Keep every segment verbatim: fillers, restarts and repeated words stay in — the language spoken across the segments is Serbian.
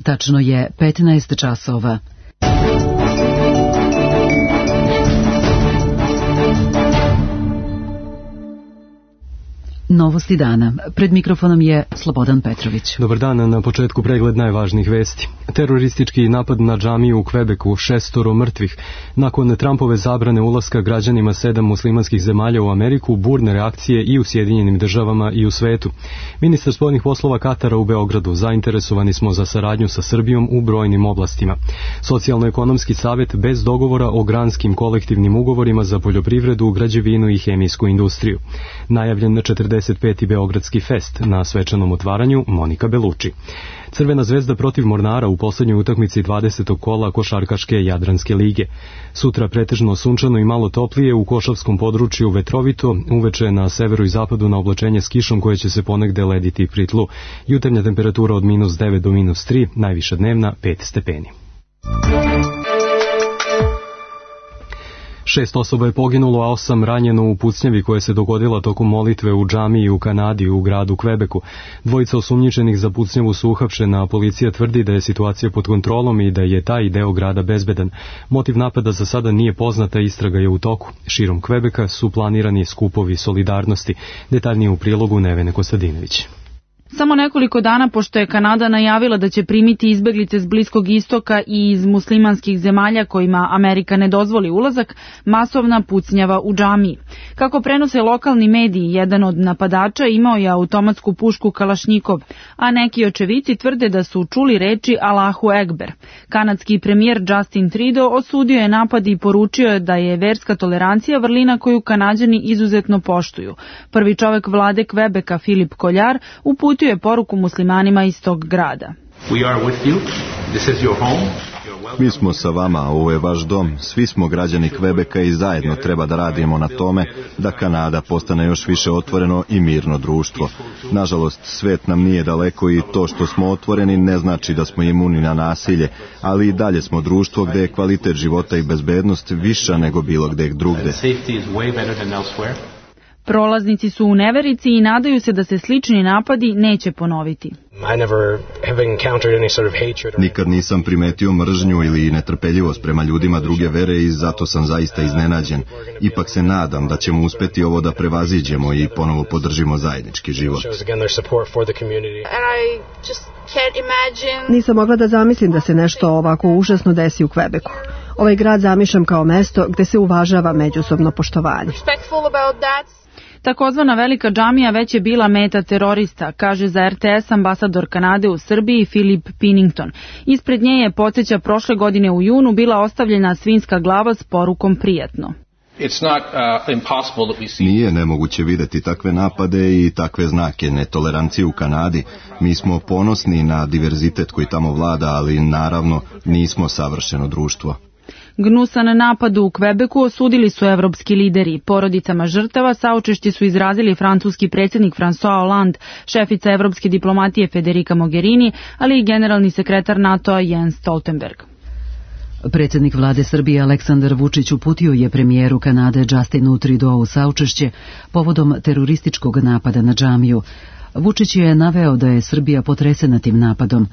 Tačno je petnaest časova. Novosti dana. Pred mikrofonom je Slobodan Petrović. Dobar dan, na početku pregled najvažnijih vesti. Teroristički napad na džamiju u Kvebeku, šestoro mrtvih. Nakon Trumpove zabrane ulaska građanima sedam muslimanskih zemalja u Ameriku, burne reakcije i u Sjedinjenim državama i u svetu. Ministar spoljnih poslova Katara u Beogradu: zainteresovani smo za saradnju sa Srbijom u brojnim oblastima. Socijalno-ekonomski savjet bez dogovora o granskim kolektivnim ugovorima za poljoprivredu, građevinu i hemijsku industriju. Najavljen četrdeset peti Beogradski fest, na svečanom otvaranju Monika Beluči. Crvena zvezda protiv Mornara u poslednjoj utakmici dvadesetog kola košarkaške Jadranske lige. Sutra pretežno sunčano i malo toplije, u košavskom području vetrovito, uveče na severu i zapadu na oblačenje s kišom koje će se ponegde lediti pri tlu. Jutarnja temperatura od minus devet do minus tri, najviša dnevna pet stepeni. Šest osoba je poginulo, a osam ranjeno u pucnjavi koja se dogodila tokom molitve u džamiji u Kanadi u gradu Kvebeku. Dvojica osumnjičenih za pucnjavu su uhapšena, a policija tvrdi da je situacija pod kontrolom i da je taj deo grada bezbedan. Motiv napada za sada nije poznata, istraga je u toku. Širom Kvebeka su planirani skupovi solidarnosti. Detaljnije u prilogu Nevene Kostadinović. Samo nekoliko dana pošto je Kanada najavila da će primiti izbeglice s Bliskog istoka i iz muslimanskih zemalja kojima Amerika ne dozvoli ulazak, masovna pucnjava u džamiji. Kako prenose lokalni mediji, jedan od napadača imao je automatsku pušku Kalašnjikov, a neki očevici tvrde da su čuli reči Allahu Ekber. Kanadski premijer Justin Trudeau osudio je napad i poručio je da je verska tolerancija vrlina koju Kanađani izuzetno poštuju. Prvi čovek vlade Kvebeka, Filip Koljar, uputio je poruku muslimanima iz tog grada. Mi smo sa vama, ovo je vaš dom, svi smo građani Kvebeka i zajedno treba da radimo na tome da Kanada postane još više otvoreno i mirno društvo. Nažalost, svet nam nije daleko i to što smo otvoreni ne znači da smo imuni na nasilje, ali i dalje smo društvo gde je kvalitet života i bezbednost viša nego bilo gde drugde. Prolaznici su u neverici i nadaju se da se slični napadi neće ponoviti. Nikad nisam primetio mržnju ili netrpeljivost prema ljudima druge vere i zato sam zaista iznenađen. Ipak se nadam da ćemo uspeti ovo da prevaziđemo i ponovo podržimo zajednički život. Nisam mogla da zamislim da se nešto ovako užasno desi u Kvebeku. Ovaj grad zamišljam kao mesto gde se uvažava međusobno poštovanje. Takozvana velika džamija već je bila meta terorista, kaže za R T S ambasador Kanade u Srbiji Philip Pinnington. Ispred nje je, podsjeća, prošle godine u junu bila ostavljena svinjska glava s porukom prijatno. Nije nemoguće videti takve napade i takve znake netolerancije u Kanadi. Mi smo ponosni na diverzitet koji tamo vlada, ali naravno nismo savršeno društvo. Gnusan napad u Kvebeku osudili su evropski lideri. Porodicama žrtava saučešće su izrazili francuski predsjednik François Hollande, šefica evropske diplomatije Federica Mogherini, ali i generalni sekretar NATO-a Jens Stoltenberg. Predsjednik vlade Srbije Aleksandar Vučić uputio je premijeru Kanade Justinu Trudeau saučešće povodom terorističkog napada na džamiju. Vučić je naveo da je Srbija potresena tim napadom.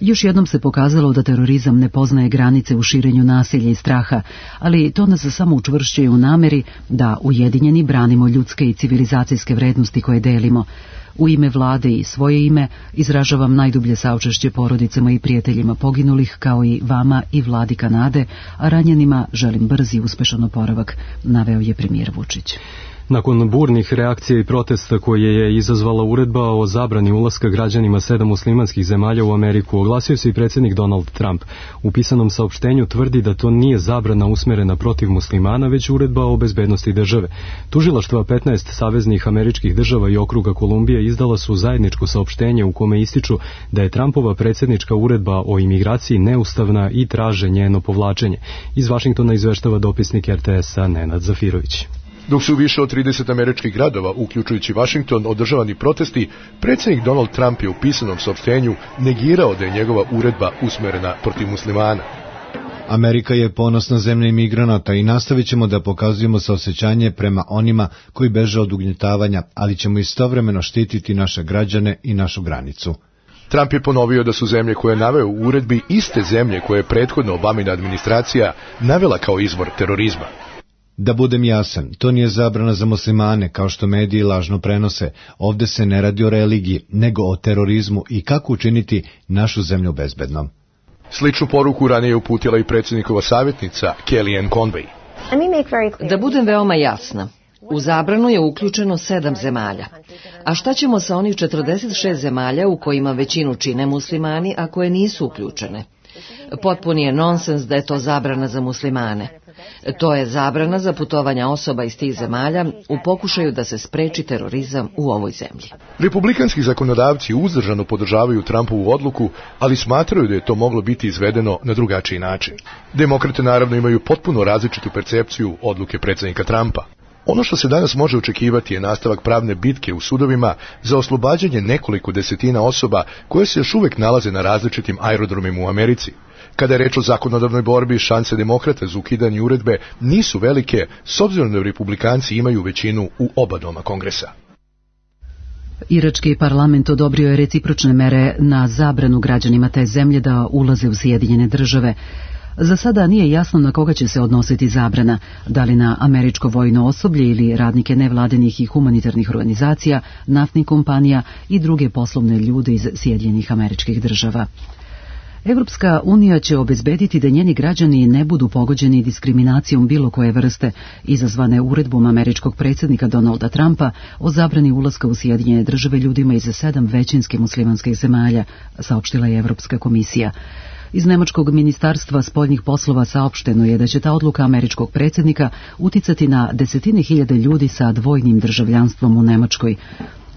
Još jednom se pokazalo da terorizam ne poznaje granice u širenju nasilja i straha, ali to nas samo učvršćuje u nameri da ujedinjeni branimo ljudske i civilizacijske vrednosti koje delimo. U ime vlade i svoje ime izražavam najdublje saučešće porodicama i prijateljima poginulih, kao i vama i vladi Kanade, a ranjenima želim brzi i uspešan oporavak, naveo je premijer Vučić. Nakon burnih reakcija i protesta koje je izazvala uredba o zabrani ulaska građanima sedam muslimanskih zemalja u Ameriku, oglasio se i predsjednik Donald Trump. U pisanom saopštenju tvrdi da to nije zabrana usmerena protiv muslimana, već uredba o bezbednosti države. Tužilaštva petnaest saveznih američkih država i okruga Kolumbije izdala su zajedničko saopštenje u kome ističu da je Trumpova predsjednička uredba o imigraciji neustavna i traže njeno povlačenje. Iz Vašingtona izveštava dopisnik R T S-a Nenad Zafirović. Dok su više od trideset američkih gradova, uključujući Vašington, održavani protesti, predsjednik Donald Trump je u pisanom saopštenju negirao da je njegova uredba usmerena protiv muslimana. Amerika je ponosna zemlja imigranata i nastavit ćemo da pokazujemo saosećanje prema onima koji beže od ugnjetavanja, ali ćemo istovremeno štititi naše građane i našu granicu. Trump je ponovio da su zemlje koje je naveo u uredbi iste zemlje koje je prethodno Obamina administracija navela kao izvor terorizma. Da budem jasan, to nije zabrana za muslimane, kao što mediji lažno prenose. Ovde se ne radi o religiji, nego o terorizmu i kako učiniti našu zemlju bezbednom. Sličnu poruku ranije je uputila i predsjednikova savjetnica Kellyanne Conway. Da budem veoma jasna, u zabranu je uključeno sedam zemalja. A šta ćemo sa onih četrdeset šest zemalja u kojima većinu čine muslimani, a koje nisu uključene? Potpuni je nonsens da je to zabrana za muslimane. To je zabrana za putovanja osoba iz tih zemalja u pokušaju da se spreči terorizam u ovoj zemlji. Republikanski zakonodavci uzdržano podržavaju Trumpovu odluku, ali smatraju da je to moglo biti izvedeno na drugačiji način. Demokrate naravno imaju potpuno različitu percepciju odluke predsjednika Trumpa. Ono što se danas može očekivati je nastavak pravne bitke u sudovima za oslobađanje nekoliko desetina osoba koje se još uvek nalaze na različitim aerodromima u Americi. Kada je reč o zakonodavnoj borbi, šanse demokrata za ukidanje uredbe nisu velike, s obzirom da republikanci imaju većinu u oba doma Kongresa. Irački parlament odobrio je recipročne mere na zabranu građanima te zemlje da ulaze u Sjedinjene države. Za sada nije jasno na koga će se odnositi zabrana, da li na američko vojno osoblje ili radnike nevladinih i humanitarnih organizacija, naftnih kompanija i druge poslovne ljude iz Sjedinjenih Američkih Država. Evropska unija će obezbediti da njeni građani ne budu pogođeni diskriminacijom bilo koje vrste, izazvane uredbom američkog predsjednika Donalda Trumpa o zabrani ulaska u Sjedinjene države ljudima iz sedam većinski muslimanskih zemalja, saopštila je Evropska komisija. Iz Nemačkog ministarstva spoljnih poslova saopšteno je da će ta odluka američkog predsjednika uticati na desetine hiljade ljudi sa dvojnim državljanstvom u Nemačkoj.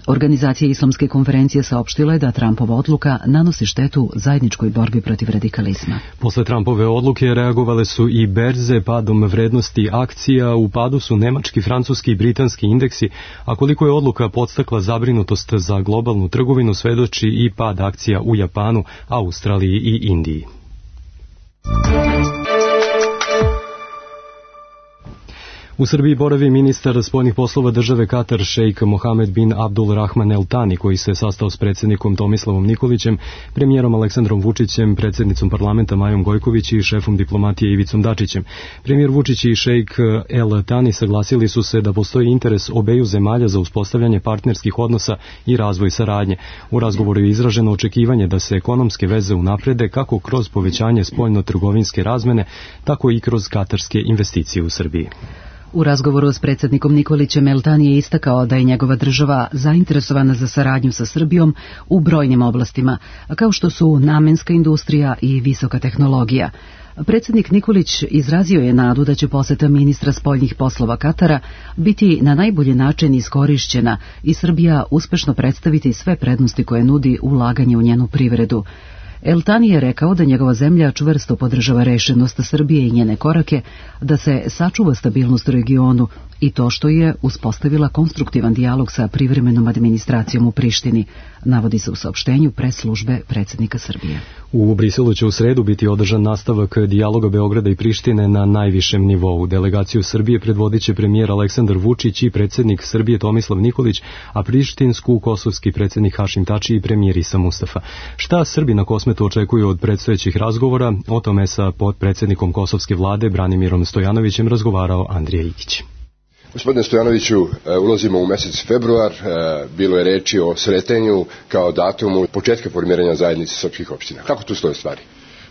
Organizacija Islamske konferencije saopštila je da Trumpova odluka nanosi štetu zajedničkoj borbi protiv radikalizma. Posle Trumpove odluke reagovale su i berze padom vrednosti akcija, u padu su nemački, francuski i britanski indeksi, a koliko je odluka podstakla zabrinutost za globalnu trgovinu svedoči i pad akcija u Japanu, Australiji i Indiji. U Srbiji boravi ministar spoljnih poslova države Katar šejk Mohamed bin Abdul Rahman El Thani, koji se sastao s predsjednikom Tomislavom Nikolićem, premijerom Aleksandrom Vučićem, predsjednicom parlamenta Majom Gojković i šefom diplomatije Ivicom Dačićem. Premijer Vučić i šejk El Thani saglasili su se da postoji interes obeju zemalja za uspostavljanje partnerskih odnosa i razvoj saradnje. U razgovoru je izraženo očekivanje da se ekonomske veze unaprede kako kroz povećanje spoljno-trgovinske razmene, tako i kroz katarske investicije u Srbiji. U razgovoru s predsjednikom Nikolićem El Thani je istakao da je njegova država zainteresovana za saradnju sa Srbijom u brojnim oblastima, kao što su namenska industrija i visoka tehnologija. Predsjednik Nikolić izrazio je nadu da će poseta ministra spoljnih poslova Katara biti na najbolji način iskorišćena i Srbija uspešno predstaviti sve prednosti koje nudi ulaganje u njenu privredu. El Thani je rekao da njegova zemlja čvrsto podržava rešenost Srbije i njene korake da se sačuva stabilnost u regionu i to što je uspostavila konstruktivan dijalog sa privremenom administracijom u Prištini, navodi se u saopštenju pres službe predsjednika Srbije. U Briselu će u sredu biti održan nastavak dijaloga Beograda i Prištine na najvišem nivou. Delegaciju Srbije predvodit će premijer Aleksandar Vučić i predsjednik Srbije Tomislav Nikolić, a prištinsku kosovski predsjednik Hašim Tači i premijer Isa Mustafa. Šta Srbi na Kosmetu očekuju od predstojećih razgovora? O tome sa potpredsjednikom kosovske vlade Branimirom Stojanovićem razgovarao Andrija Ikić. Gospodine Stojanoviću, ulazimo u mesec februar, bilo je reči o sretenju kao datumu početka formiranja zajednice srpskih opština. Kako tu stoje stvari?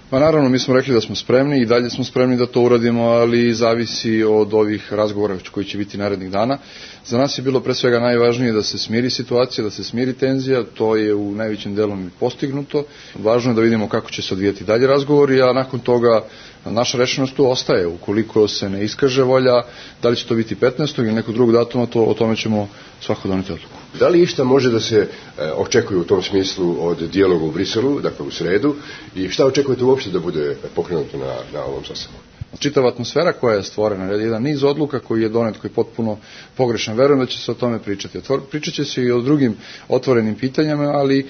Pa naravno, mi smo rekli da smo spremni i dalje smo spremni da to uradimo, ali zavisi od ovih razgovora koji će biti narednih dana. Za nas je bilo pre svega najvažnije da se smiri situacija, da se smiri tenzija, to je u najvećem delom i postignuto. Važno je da vidimo kako će se odvijeti dalje razgovori, a nakon toga naša rešenost tu ostaje. Ukoliko se ne iskaže volja, da li će to biti petnaestog ili nekog drugog datuma, to, o tome ćemo svako doneti odluku. Da li išta može da se e, očekuje u tom smislu od dijaloga u Briselu, dakle u sredu, i šta očekujete uopšte da bude pokrenuto na, na ovom sastanku? čitava atmosfera koja je stvorena, jedan niz odluka koji je donet, koji je potpuno pogrešan. Verujem da će se o tome pričati. Pričat će se i o drugim otvorenim pitanjama, ali e,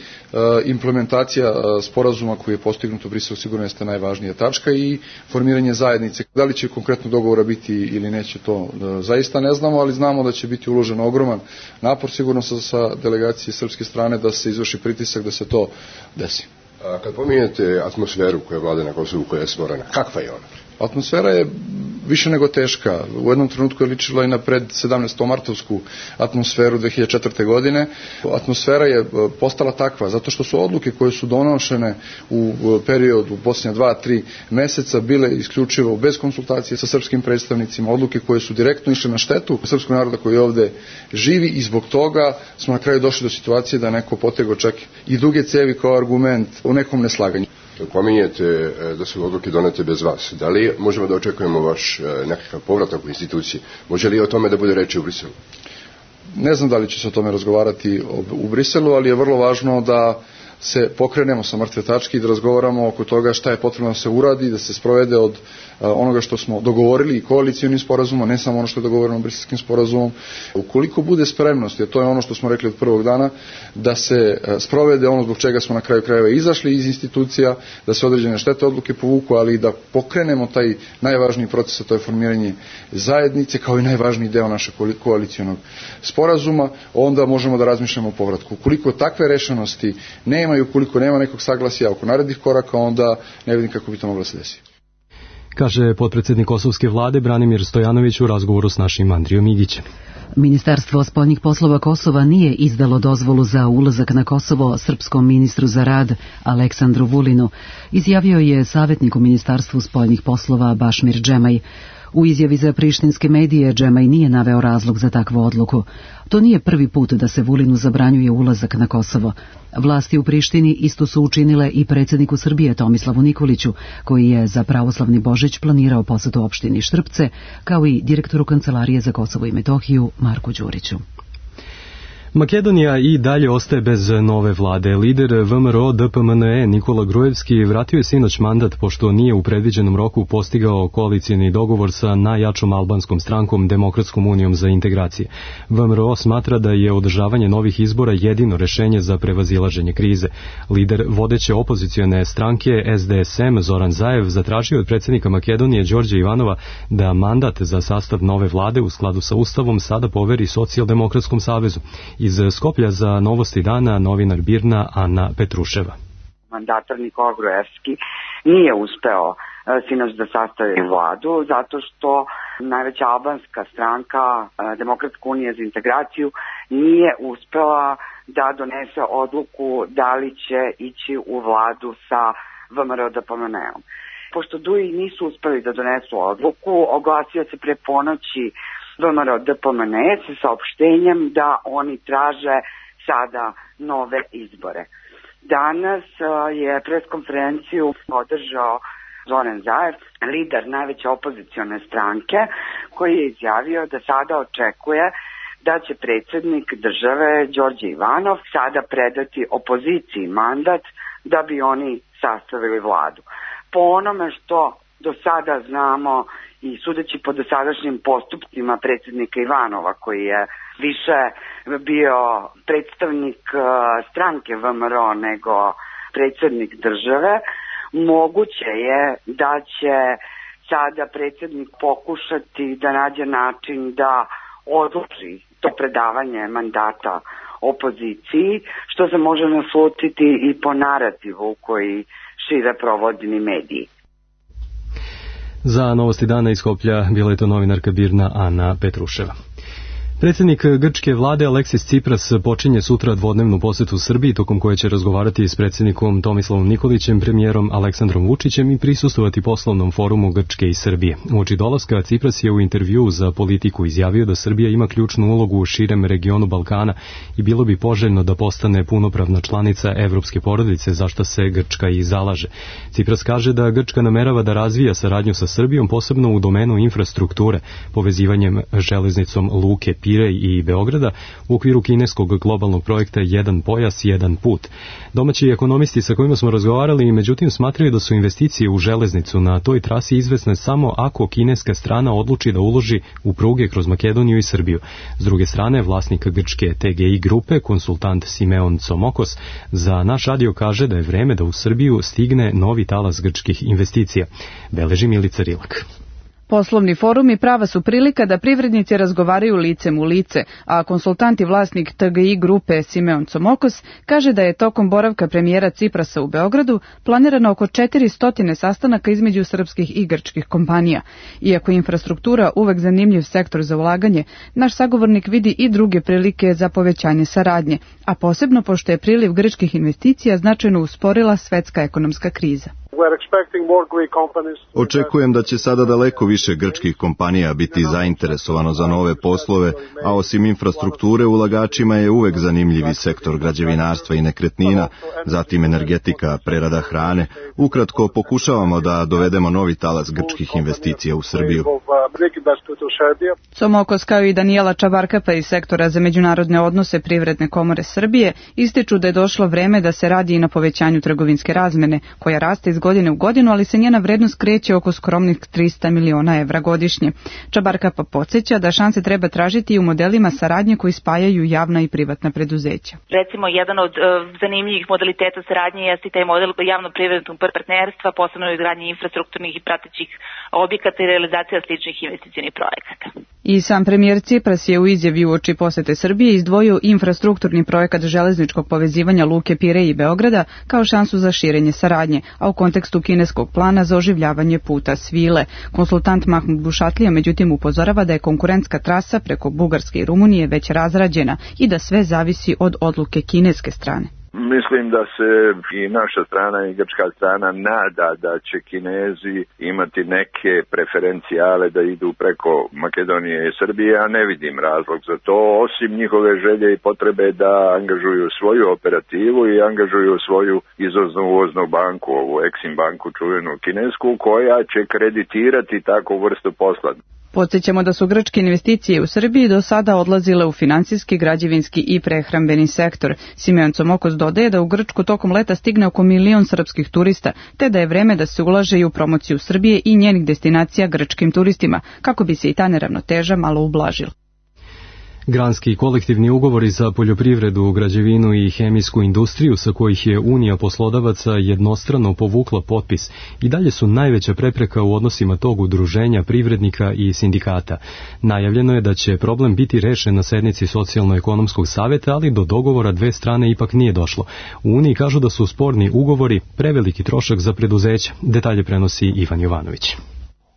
implementacija e, sporazuma koji je postignut u Briselu sigurno jeste najvažnija tačka i formiranje zajednice. Da li će konkretno dogovora biti ili neće, to e, zaista ne znamo, ali znamo da će biti uložen ogroman napor sigurno sa, sa delegacije srpske strane da se izvrši pritisak da se to desi. A kad pominjete atmosferu koja vlada na Kosovu, koja je stvorena, kakva je ona? Atmosfera je više nego teška. U jednom trenutku je ličila i na pred sedamnaestomartovsku atmosferu dve hiljade četvrte. godine. Atmosfera je postala takva zato što su odluke koje su donošene u periodu posljednja dva, tri meseca bile isključivo bez konsultacije sa srpskim predstavnicima, odluke koje su direktno išle na štetu srpskog naroda koji ovde živi i zbog toga smo na kraju došli do situacije da neko potegao čak i duge cevi kao argument u nekom neslaganju. Pominjete da su odluke donete bez vas. Da li možemo da očekujemo vaš nekakav povratak u institucije? Može li o tome da bude reči u Briselu? Ne znam da li će se o tome razgovarati u Briselu, ali je vrlo važno da se pokrenemo sa mrtve tačke i da razgovaramo oko toga šta je potrebno da se uradi, da se sprovede od onoga što smo dogovorili i koalicijonim sporazumom, ne samo ono što je dogovoreno briselskim sporazumom. Ukoliko bude spremnost, jer to je ono što smo rekli od prvog dana, da se sprovede ono zbog čega smo na kraju krajeva izašli iz institucija, da se određene štete odluke povuku, ali da pokrenemo taj najvažniji proces, a to je formiranje zajednice kao i najvažniji deo našeg koalicijonog sporazuma, onda možemo da razmišljamo o povratku. Ukoliko takve rešenosti nema i ukoliko nema nekog saglasja oko narednih koraka, onda ne vidim kako bi to moglo da se desi. Kaže potpredsjednik kosovske vlade Branimir Stojanović u razgovoru s našim Andrijom Igićem. Ministarstvo spoljnih poslova Kosova nije izdalo dozvolu za ulazak na Kosovo srpskom ministru za rad Aleksandru Vulinu, izjavio je savjetnik u Ministarstvu spoljnih poslova Bašmir Džemaj. U izjavi za prištinske medije Džemaj nije naveo razlog za takvu odluku. To nije prvi put da se Vulinu zabranjuje ulazak na Kosovo. Vlasti u Prištini isto su učinile i predsjedniku Srbije Tomislavu Nikoliću, koji je za pravoslavni Božić planirao posetu opštini Štrpce, kao i direktoru Kancelarije za Kosovo i Metohiju Marku Đuriću. Makedonija i dalje ostaje bez nove vlade. Lider V M R O D P M N E Nikola Grujevski vratio je sinoć mandat pošto nije u predviđenom roku postigao koalicijni dogovor sa najjačom albanskom strankom Demokratskom unijom za integracije. V M R O smatra da je održavanje novih izbora jedino rešenje za prevazilaženje krize. Lider vodeće opozicione stranke S D S M Zoran Zaev zatražio od predsjednika Makedonije Đorđa Ivanova da mandat za sastav nove vlade u skladu sa Ustavom sada poveri Socijaldemokratskom savezu. Iz Skoplja za Novosti dana novinar Birna Ana Petruševa. Mandatar Nikola Grujevski nije uspeo sinoć da sastavi vladu zato što najveća albanska stranka Demokratska unija za integraciju nije uspela da donese odluku da li će ići u vladu sa V M R O D P M N-om. Pošto D U I nisu uspeli da donesu odluku, oglasio se pre ponoći V M R O D P M N sa saopštenjem da oni traže sada nove izbore. Danas je preskonferenciju održao Zoran Zaev, lider najveće opozicione stranke, koji je izjavio da sada očekuje da će predsjednik države Đorđe Ivanov sada predati opoziciji mandat da bi oni sastavili vladu. Po onome što do sada znamo i sudeći po dosadašnjim postupcima predsjednika Ivanova, koji je više bio predstavnik stranke V M R O nego predsjednik države, moguće je da će sada predsjednik pokušati da nađe način da odluči to predavanje mandata opoziciji, što se može naslutiti i po narativu koji šire provodini mediji. Za Novosti dana iz Skoplja bila je to novinarka Birna Ana Petruševa. Predsjednik grčke vlade Aleksis Tsipras počinje sutra dvodnevnu posetu Srbiji, tokom koje će razgovarati s predsjednikom Tomislavom Nikolićem, premijerom Aleksandrom Vučićem i prisustvovati poslovnom forumu Grčke i Srbije. Uoči dolaska Tsipras je u intervjuu za Politiku izjavio da Srbija ima ključnu ulogu u širem regionu Balkana i bilo bi poželjno da postane punopravna članica evropske porodice, za što se Grčka i zalaže. Tsipras kaže da Grčka namerava da razvija saradnju sa Srbijom, posebno u domenu infrastrukture, povezivanjem železnicom luke Pir Pirej i Beograda u okviru kineskog globalnog projekta Jedan pojas, jedan put. Domaći ekonomisti sa kojima smo razgovarali međutim smatraju da su investicije u železnicu na toj trasi izvesne samo ako kineska strana odluči da uloži u pruge kroz Makedoniju i Srbiju. S druge strane, vlasnik grčke T G I grupe, konsultant Simeon Tsomokos, za naš radio kaže da je vreme da u Srbiju stigne novi talas grčkih investicija. Beleži Milica Rilak. Poslovni forumi prava su prilika da privrednici razgovaraju licem u lice, a konsultant i vlasnik T G I grupe Simeon Tsomokos kaže da je tokom boravka premijera Ciprasa u Beogradu planirano oko četiristo sastanaka između srpskih i grčkih kompanija. Iako je infrastruktura uvek zanimljiv sektor za ulaganje, naš sagovornik vidi i druge prilike za povećanje saradnje, a posebno pošto je priliv grčkih investicija značajno usporila svetska ekonomska kriza. Očekujem da će sada daleko više grčkih kompanija biti zainteresovano za nove poslove, a osim infrastrukture ulagačima je uvek zanimljivi sektor građevinarstva i nekretnina, zatim energetika, prerada hrane. Ukratko, pokušavamo da dovedemo novi talas grčkih investicija u Srbiju. Tsomokos kao i Danijela Čabarkapa iz sektora za međunarodne odnose Privredne komore Srbije ističu da je došlo vreme da se radi i na povećanju trgovinske razmene, koja raste iz godine u godinu, ali se njena vrednost kreće oko skromnih trista miliona evra godišnje. Čabarkapa podsjeća da šanse treba tražiti i u modelima saradnje koji spajaju javna i privatna preduzeća. Recimo, jedan od uh, zanimljivih modaliteta saradnje jeste taj model javno-privatnog partnerstva, posebno u izgradnji infrastrukturnih i pratećih objekata i realizacija sličnih investicionih projekata. I sam premijer Cipras je u izjavi uoči posete Srbije izdvojio infrastrukturni projekat železničkog povezivanja luke Pirej i Beograda kao šansu za širenje saradnje, a u kontekstu kineskog plana za oživljavanje puta Svile. Konsultant Mahmud Bušatlija međutim upozorava da je konkurentska trasa preko Bugarske i Rumunije već razrađena i da sve zavisi od odluke kineske strane. Mislim da se i naša strana i grčka strana nada da će Kinezi imati neke preferencijale da idu preko Makedonije i Srbije, a ne vidim razlog za to, osim njihove želje i potrebe da angažuju svoju operativu i angažuju svoju izvozno-uvoznu banku, ovu Exim banku čuvenu kinesku, koja će kreditirati takvu vrstu posla. Podsjećamo da su grčke investicije u Srbiji do sada odlazile u finansijski, građevinski i prehrambeni sektor. Simeon Tsomokos dodaje da u Grčku tokom leta stigne oko milion srpskih turista, te da je vreme da se ulaže i u promociju Srbije i njenih destinacija grčkim turistima, kako bi se i ta neravnoteža malo ublažila. Granski kolektivni ugovori za poljoprivredu, građevinu i hemijsku industriju sa kojih je Unija poslodavaca jednostrano povukla potpis i dalje su najveća prepreka u odnosima tog udruženja privrednika i sindikata. Najavljeno je da će problem biti rešen na sednici Socijalno-ekonomskog saveta, ali do dogovora dve strane ipak nije došlo. U Uniji kažu da su sporni ugovori preveliki trošak za preduzeća. Detalje prenosi Ivan Jovanović.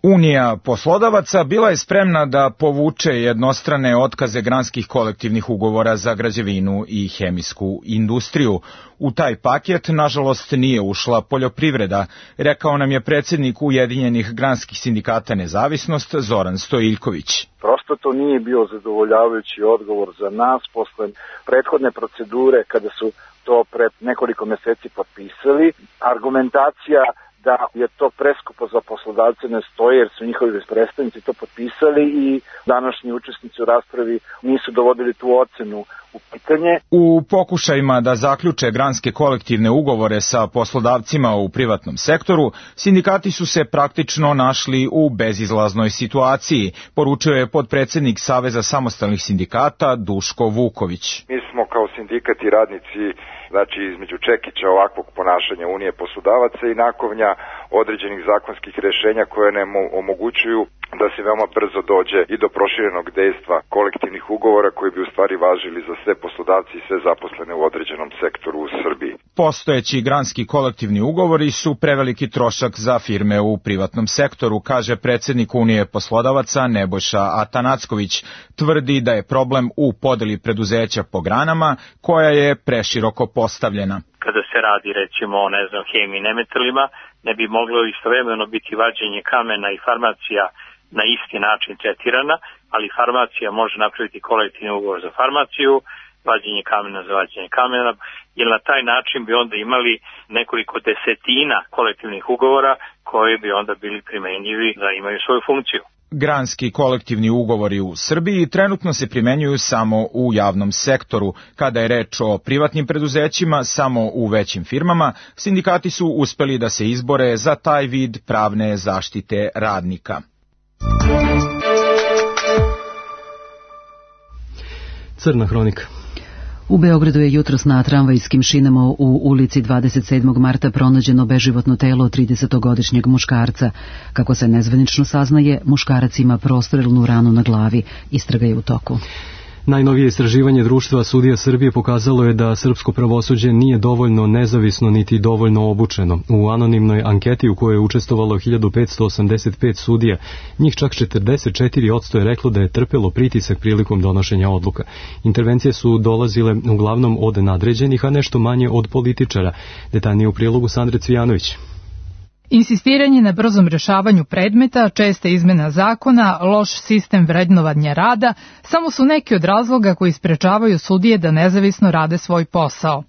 Unija poslodavaca bila je spremna da povuče jednostrane otkaze granskih kolektivnih ugovora za građevinu i hemijsku industriju. U taj paket, nažalost, nije ušla poljoprivreda, rekao nam je predsjednik Ujedinjenih granskih sindikata Nezavisnost Zoran Stojiljković. Prosto to nije bio zadovoljavajući odgovor za nas posle prethodne procedure kada su to pred nekoliko meseci potpisali. Argumentacija da je to preskupo za poslodavce ne stoji jer su njihovi predstavnici to potpisali i današnji učesnici u raspravi nisu dovodili tu ocenu u pitanje. U pokušajima da zaključe granske kolektivne ugovore sa poslodavcima u privatnom sektoru, sindikati su se praktično našli u bezizlaznoj situaciji, poručio je potpredsjednik Saveza samostalnih sindikata Duško Vuković. Mi smo kao sindikat i radnici, znači između čekića ovakvog ponašanja Unije poslodavaca i nakovnja određenih zakonskih rješenja koje nam omogućuju da se veoma brzo dođe i do proširenog dejstva kolektivnih ugovora koji bi u stvari važili za sve poslodavci i sve zaposlene u određenom sektoru u Srbiji. Postojeći granski kolektivni ugovori su preveliki trošak za firme u privatnom sektoru, kaže predsjednik Unije poslodavaca Nebojša Atanacković. Tvrdi da je problem u podeli preduzeća po granama koja je preširoko postavljena. Kada se radi recimo o ne znam hemiji i nemetalima, ne bi moglo istovremeno biti vađenje kamena i farmacija na isti način tretirana, ali farmacija može napraviti kolektivni ugovor za farmaciju, vađenje kamena za vađenje kamena, jer na taj način bi onda imali nekoliko desetina kolektivnih ugovora koji bi onda bili primenjivi da imaju svoju funkciju. Granski kolektivni ugovori u Srbiji trenutno se primenjuju samo u javnom sektoru. Kada je reč o privatnim preduzećima, samo u većim firmama, sindikati su uspeli da se izbore za taj vid pravne zaštite radnika. Crna hronika. U Beogradu je jutros na tramvajskim šinama u ulici dvadeset sedmog marta pronađeno beživotno telo tridesetogodišnjeg muškarca. Kako se nezvanično saznaje, muškarac ima prostrelnu ranu na glavi. Istraga je u toku. Najnovije istraživanje Društva sudija Srbije pokazalo je da srpsko pravosuđe nije dovoljno nezavisno niti dovoljno obučeno. U anonimnoj anketi u kojoj je učestvovalo hiljadu petsto osamdeset pet sudija, njih čak četrdeset četiri posto je reklo da je trpelo pritisak prilikom donošenja odluka. Intervencije su dolazile uglavnom od nadređenih, a nešto manje od političara. Detaljnije u prilogu Sandre Cvijanović. Insistiranje na brzom rešavanju predmeta, česte izmena zakona, loš sistem vrednovanja rada samo su neki od razloga koji sprečavaju sudije da nezavisno rade svoj posao.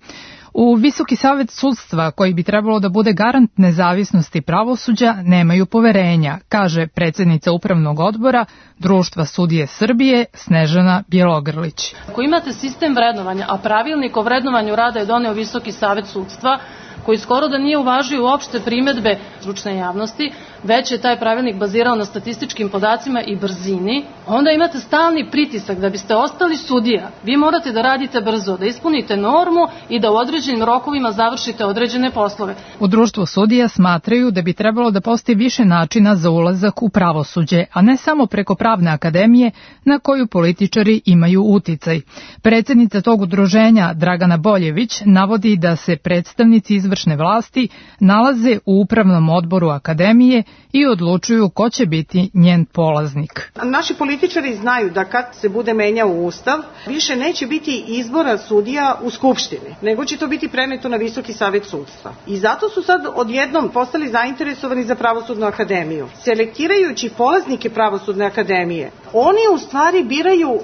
U Visoki savet sudstva, koji bi trebalo da bude garant nezavisnosti pravosuđa, nemaju poverenja, kaže predsjednica Upravnog odbora Društva sudije Srbije Snežana Bjelogrlić. Ako imate sistem vrednovanja, a pravilnik o vrednovanju rada je doneo Visoki savet sudstva, koji skoro da nije uvažio uopšte primedbe stručne javnosti, već je taj pravilnik bazirao na statističkim podacima i brzini, onda imate stalni pritisak da biste ostali sudija. Vi morate da radite brzo, da ispunite normu i da u određenim rokovima završite određene poslove. U Društvu sudija smatraju da bi trebalo da postoji više načina za ulazak u pravosuđe, a ne samo preko Pravne akademije na koju političari imaju uticaj. Predsjednica tog udruženja Dragana Boljević navodi da se predstavnici izvršne vlasti nalaze u Upravnom odboru akademije i odlučuju ko će biti njen polaznik. Naši političari znaju da kad se bude menjao Ustav, više neće biti izbora sudija u Skupštini, nego će to biti preneto na Visoki savet sudstva. I zato su sad odjednom postali zainteresovani za Pravosudnu akademiju. Selektirajući polaznike Pravosudne akademije, oni u stvari biraju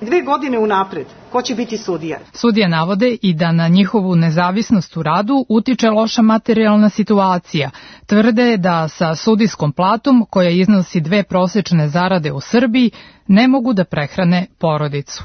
dve godine unapred ko će biti sudija. Sudije navode i da na njihovu nezavisnost u radu utiče loša materijalna situacija. Tvrde da sa sudijskom platom, koja iznosi dve prosečne zarade u Srbiji, ne mogu da prehrane porodicu.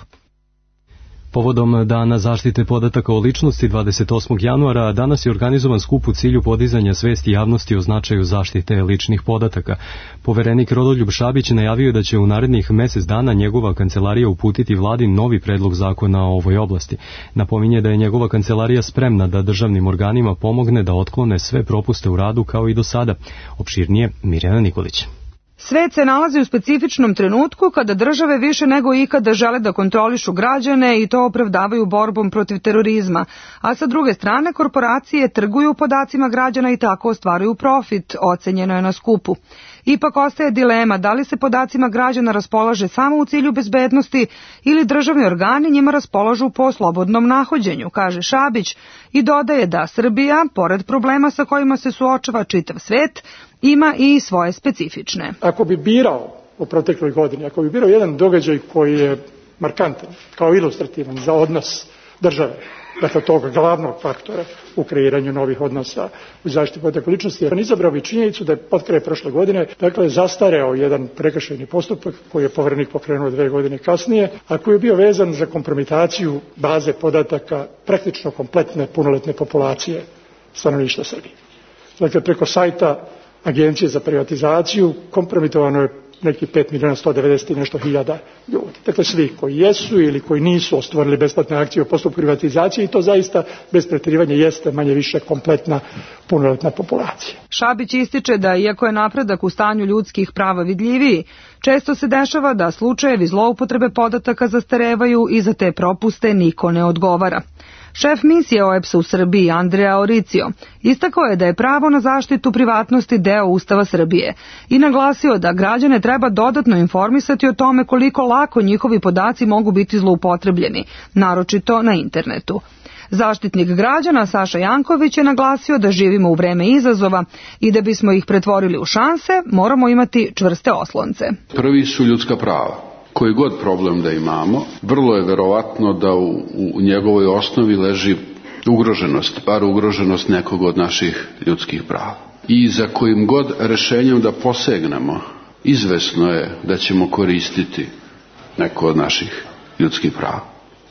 Povodom Dana zaštite podataka o ličnosti dvadeset osmog januara danas je organizovan skup u cilju podizanja svesti javnosti o značaju zaštite ličnih podataka. Poverenik Rodoljub Šabić najavio da će u narednih mesec dana njegova kancelarija uputiti vladi novi predlog zakona o ovoj oblasti. Napominje da je njegova kancelarija spremna da državnim organima pomogne da otklone sve propuste u radu kao i do sada. Opširnije Mirjana Nikolić. Svet se nalazi u specifičnom trenutku kada države više nego ikada žele da kontrolišu građane i to opravdavaju borbom protiv terorizma, a sa druge strane korporacije trguju podacima građana i tako ostvaruju profit, ocenjeno je na skupu. Ipak ostaje dilema da li se podacima građana raspolaže samo u cilju bezbednosti ili državni organi njima raspolažu po slobodnom nahođenju, kaže Šabić i dodaje da Srbija, pored problema sa kojima se suočava čitav svet, ima i svoje specifične. Ako bi birao u protekloj godini, ako bi birao jedan događaj koji je markantan, kao ilustrativan za odnos države, dakle tog glavnog faktora u kreiranju novih odnosa u zaštiti podataka ličnosti, on izabrao bi činjenicu da je potkraj prošle godine, dakle, zastareo jedan prekršajni postupak koji je Poverenik pokrenuo dve godine kasnije, a koji je bio vezan za kompromitaciju baze podataka praktično kompletne punoletne populacije stanovništva Srbije. Dakle, preko sajta Agencije za privatizaciju kompromitovano je neki pet miliona sto devedeset i nešto hiljada ljudi. Dakle, svi koji jesu ili koji nisu ostvarili besplatne akcije u postupku privatizacije i to zaista bez pretjerivanja jeste manje više kompletna punoletna populacija. Šabić ističe da iako je napredak u stanju ljudskih prava vidljiviji, često se dešava da slučajevi zloupotrebe podataka zastarevaju i za te propuste niko ne odgovara. Šef misije O E P S-a u Srbiji, Andrea Oricio, istakao je da je pravo na zaštitu privatnosti deo Ustava Srbije i naglasio da građane treba dodatno informisati o tome koliko lako njihovi podaci mogu biti zloupotrebljeni, naročito na internetu. Zaštitnik građana Saša Janković je naglasio da živimo u vreme izazova i da bismo ih pretvorili u šanse, moramo imati čvrste oslonce. Prvi su ljudska prava. Koji god problem da imamo, vrlo je verovatno da u, u njegovoj osnovi leži ugroženost, bar ugroženost nekog od naših ljudskih prava. I za kojim god rešenjem da posegnemo izvesno je da ćemo koristiti neko od naših ljudskih prava.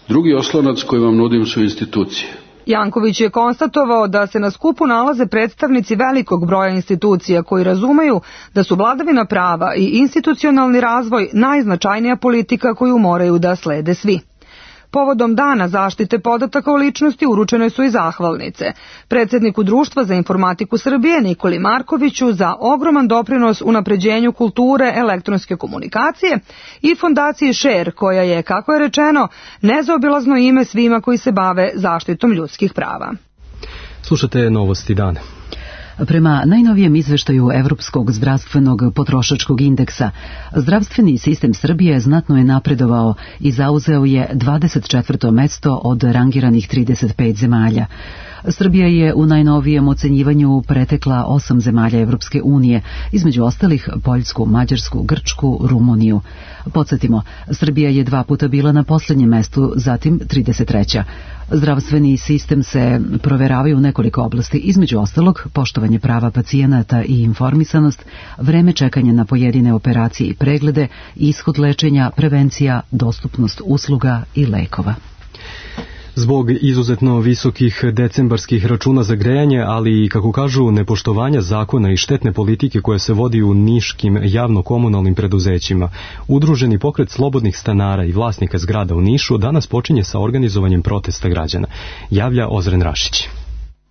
Drugi oslonac koji vam nudim su institucije. Janković je konstatovao da se na skupu nalaze predstavnici velikog broja institucija koji razumeju da su vladavina prava i institucionalni razvoj najznačajnija politika koju moraju da slede svi. Povodom dana zaštite podataka o ličnosti uručene su i zahvalnice predsjedniku Društva za informatiku Srbije Nikoli Markoviću za ogroman doprinos unapređenju kulture elektronske komunikacije i fondaciji Share, koja je, kako je rečeno, nezaobilazno ime svima koji se bave zaštitom ljudskih prava. Slušate Novosti dana. Prema najnovijem izveštaju Evropskog zdravstvenog potrošačkog indeksa, zdravstveni sistem Srbije znatno je napredovao i zauzeo je dvadeset četvrto mesto od rangiranih trideset pet zemalja. Srbija je u najnovijem ocenjivanju pretekla osam zemalja Evropske unije, između ostalih Poljsku, Mađarsku, Grčku, Rumuniju. Podsjetimo, Srbija je dva puta bila na posljednjem mestu, zatim trideset treća. Zdravstveni sistem se proveravaju u nekoliko oblasti, između ostalog poštovanje prava pacijenata i informisanost, vreme čekanja na pojedine operacije i preglede, ishod lečenja, prevencija, dostupnost usluga i lekova. Zbog izuzetno visokih decembarskih računa za grejanje, ali i, kako kažu, nepoštovanja zakona i štetne politike koje se vodi u niškim javno-komunalnim preduzećima, Udruženi pokret slobodnih stanara i vlasnika zgrada u Nišu danas počinje sa organizovanjem protesta građana, javlja Ozren Rašić.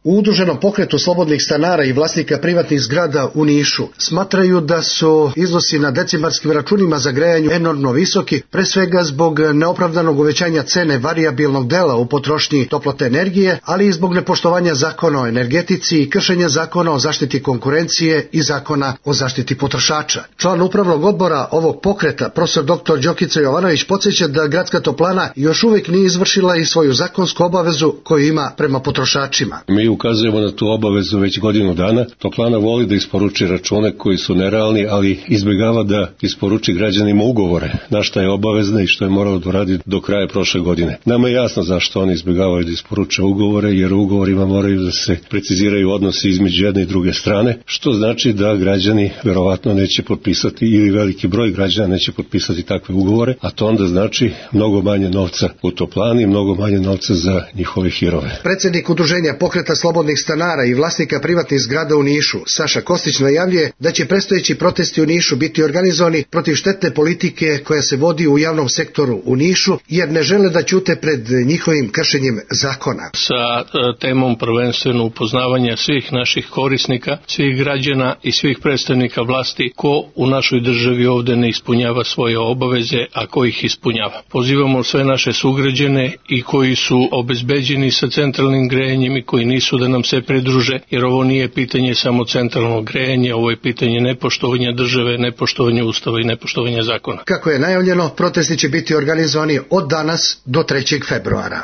U Udruženom pokretu slobodnih stanara i vlasnika privatnih zgrada u Nišu smatraju da su iznosi na decembarskim računima za grejanje enormno visoki, pre svega zbog neopravdanog uvećanja cene varijabilnog dela u potrošnji toplotne energije, ali i zbog nepoštovanja zakona o energetici i kršenja zakona o zaštiti konkurencije i zakona o zaštiti potrošača. Član upravnog odbora ovog pokreta, profesor doktor Đokica Jovanović, podsjeća da gradska toplana još uvijek nije izvršila i svoju zakonsku obavezu koju ima prema potrošačima. Mi ukazujemo na tu obavezu već godinu dana. Toplana voli da isporuči račune koji su nerealni, ali izbjegava da isporuči građanima ugovore, na šta je obavezna i što je moralo da radi do kraja prošle godine. Nama je jasno zašto oni izbjegavaju da isporuče ugovore, jer u ugovorima moraju da se preciziraju odnosi između jedne i druge strane, što znači da građani verovatno neće potpisati, ili veliki broj građana neće potpisati takve ugovore, a to onda znači mnogo manje novca u toplani, mnogo manje novca za njihove hirove. Predsjednik Udruženja pokreta slobodnih stanara i vlasnika privatnih zgrada u Nišu, Saša Kostić, najavljuje da će predstojeći protesti u Nišu biti organizovani protiv štetne politike koja se vodi u javnom sektoru u Nišu, jer ne žele da ćute pred njihovim kršenjem zakona. Sa temom prvenstveno upoznavanja svih naših korisnika, svih građana i svih predstavnika vlasti ko u našoj državi ovde ne ispunjava svoje obaveze, a ko ih ispunjava. Pozivamo sve naše sugrađane i koji su obezbeđeni sa centralnim grejanjem i koji nisu da nam se pridruže, jer ovo nije pitanje samo centralnog grejanja, ovo je pitanje nepoštovanja države, nepoštovanja ustava i nepoštovanja zakona. Kako je najavljeno, protesti će biti organizovani od danas do trećeg februara.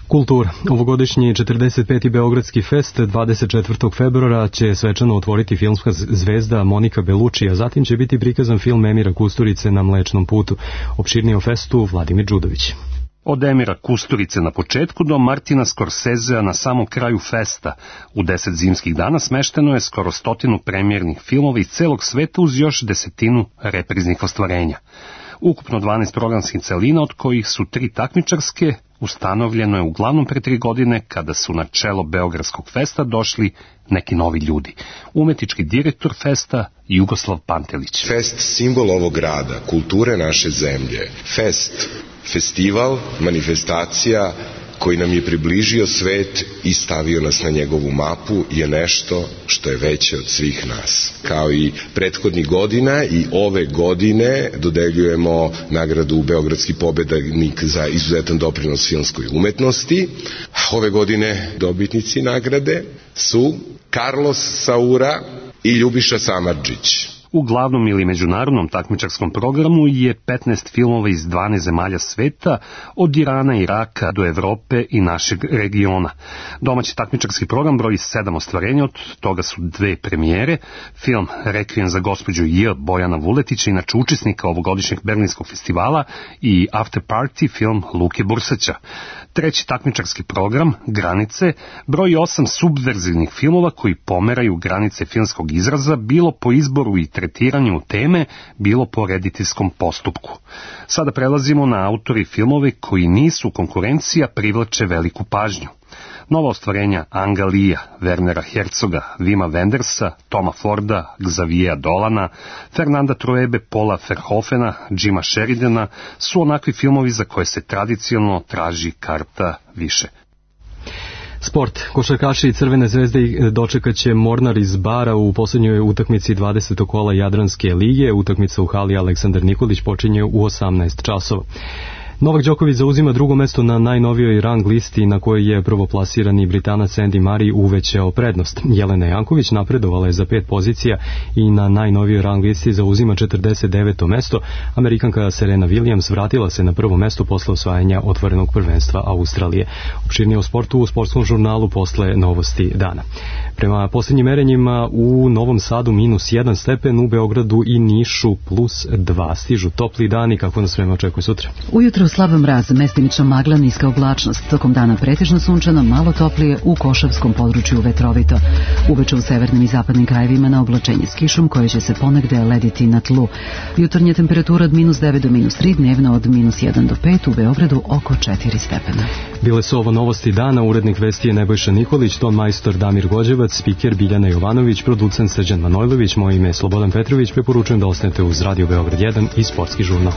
Kultura. Ovogodišnji četrdeset peti Beogradski fest dvadeset četvrtog februara će svečano otvoriti filmska zvezda Monika Belucci, a zatim će biti prikazan film Emira Kusturice Na Mlečnom putu. Opširnije o festu Vladimir Đudović. Od Emira Kusturice na početku do Martina Scorsesea na samom kraju festa. U deset zimskih dana smešteno je skoro stotinu premijernih filmova iz celog sveta uz još desetinu repriznih ostvarenja. Ukupno dvanaest programskih celina, od kojih su tri takmičarske, ustanovljeno je uglavnom pre tri godine kada su na čelo Beogradskog festa došli neki novi ljudi. Umetnički direktor festa Jugoslav Pantelić. Fest simbol ovog grada, kulture naše zemlje. Fest, festival, manifestacija koji nam je približio svet i stavio nas na njegovu mapu je nešto što je veće od svih nas. Kao i prethodnih godina i ove godine dodeljujemo nagradu Beogradski pobednik za izuzetan doprinos filmskoj umetnosti. Ove godine dobitnici nagrade su Carlos Saura i Ljubiša Samardžić. U glavnom ili međunarodnom takmičarskom programu je petnaest filmova iz dvanaest zemalja sveta, od Irana, Iraka do Evrope i našeg regiona. Domaći takmičarski program broji sedam ostvarenja, od toga su dve premijere, film Rekvijem za gospođu J. Bojana Vuletića, inače učesnika ovogodišnjeg Berlinskog festivala, i After Party, film Luke Bursaća. Treći takmičarski program, Granice, broji osam subverzivnih filmova koji pomeraju granice filmskog izraza, bilo po izboru i tretiranju teme, bilo po rediteljskom postupku. Sada prelazimo na autori filmove koji nisu konkurencija, privlače veliku pažnju. Nova ostvarenja Anga Lija, Wernera Herzoga, Vima Wendersa, Toma Forda, Xaviera Dolana, Fernanda Truebe, Paula Verhoevena, Jima Sheridana su onakvi filmovi za koje se tradicionalno traži karta više. Sport. Košarkaši Crvene zvezde dočekat će Mornar iz Bara u posljednjoj utakmici dvadesetog kola Jadranske lige. Utakmica u hali Aleksandar Nikolić počinje u osamnaest časova. Novak Đoković zauzima drugo mesto na najnovijoj rang listi na kojoj je prvoplasirani Britanac Andy Murray uvećao prednost. Jelena Janković napredovala je za pet pozicija i na najnovijoj rang listi zauzima četrdeset deveto mesto. Amerikanka Serena Williams vratila se na prvo mesto posle osvajanja otvorenog prvenstva Australije. Opširnije o sportu u sportskom žurnalu posle novosti dana. Prema posljednjim merenjima u Novom Sadu minus jedan stepen, u Beogradu i Nišu plus dva. Stižu topli dani, kako nas vreme očekuje sutra. Ujutro slab mraz, mestimično magla, niska oblačnost. Tokom dana pretežno sunčano, malo toplije, u Košavskom području vetrovito. Uveče u severnim i zapadnim krajevima na oblačenje s kišom koje će se ponegde lediti na tlu. Jutarnja temperatura od minus devet do minus tri, dnevno od minus jedan do pet, u Beogradu oko četiri stepena. Bile su ovo novosti dana, urednik vesti je Nebojša Nikolić, ton majstor Damir Gođevac, spiker Biljana Jovanović, producent Srđan Manojlović, moje ime je Slobodan Petrović, preporučujem da ostanete uz Radio Beograd jedan i Sportski žurnal.